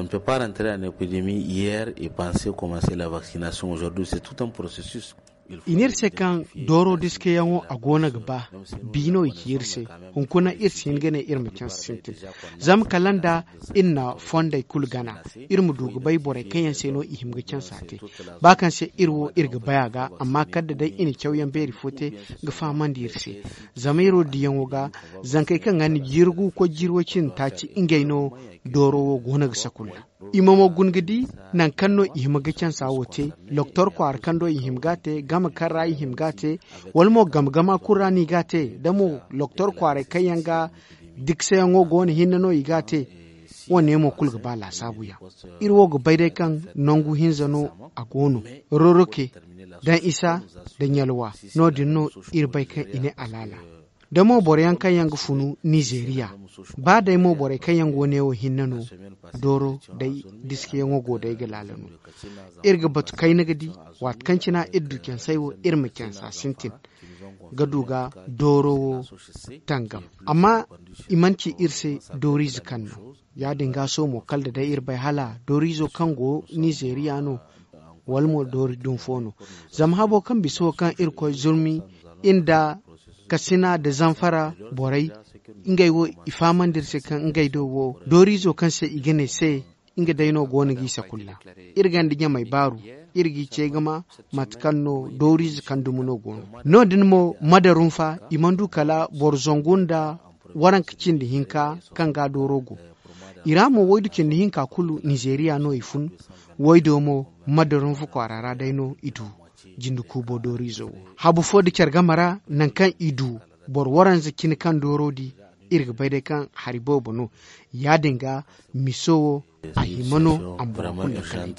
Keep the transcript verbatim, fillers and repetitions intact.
On ne peut pas rentrer en épidémie hier et penser commencer la vaccination aujourd'hui, c'est tout un processus. I ne iri se kaŋ dooro diskayaŋo a go no ga ba. Bi no i ci iri se. Hunkuna iri si hin ga ne iri ma canse sintin. Zama kala nda iri na fondey kulu gana, iri ma du ga bay borey kaŋ yaŋ se no i hima ga cansa te. Ba kaŋ se iri wo iri ga bay a ga, amma kala da day i na cawyaŋ beeri fo te ga fahamandi iri se. Zama iri wo diyaŋo ga, zankey kaŋ ga ni jirgu koy jirwo cindi taaci, ngey no dooro wo go no ga sakulla. I ma mo guna ga di nangu kaŋ no i hima ga cansa wo te. Loktor kwaara kaŋ do i hima ga a te, game kaŋ ra i hima ga a te, wala mo game gama kulu ra no i ga a te. Da mo loktor kwaaray kaŋ yaŋ ga dikseyaŋo go no hinne no i ga a te. Wo- ne mo kulu ga ba laasaabu yaŋ. Iri wo ga bay day kaŋ nangu hinza no a go no. Roroke daŋ isa da ɲalwa. No- din no iri bay kaŋ i ne alaala. Da mo boro yaŋ kaŋ yaŋ ga funu nizeeriya, ba day mo borey kaŋ yaŋ go ne wo hinne no, dooro day diskayaŋo go day ga laala no. Iri ga batu kayna ga di, waati kaŋ cina iri du cansey wo iri ma cansa sintin ga du ga dooro wo tangam. Amma i mana ci iri se dooriize kaŋ no. Ya- din ga sohõ mo kala da day iri bay hala dooriizo kaŋ go nizeeriya no, wala mo doori dumi fo no. Zama habo kaŋ bisa wo kaŋ iri koy zurmi nda kasina nda zamfara borey, ngey wo i fahamandi iri se kaŋ ngey do wo dooriizo kaŋ se i ga ne se, nga day no go no g'i sakulla. Iri gonda ɲamey baaru, iri g'i ce ga ma mate kaŋ no dooriize kaŋ dumi no go no. No- din mo madarunfa i mana du kala boro zangu nda waranka cindi hinka kaŋ ga dooro go. I ra mo waydu cindi hinka kulu nizeeriya no i fun. Waydo mo madarunfa kwaara ra day no i du jinde kuubo dooriizo wo. Habu fo da care game ra, nangu kaŋ i du boro waranza cine kaŋ dooro di, iri ga bay day kaŋ hari boobo no. Ya- din ga miso wo a hima no a ma boro kulu lakkal.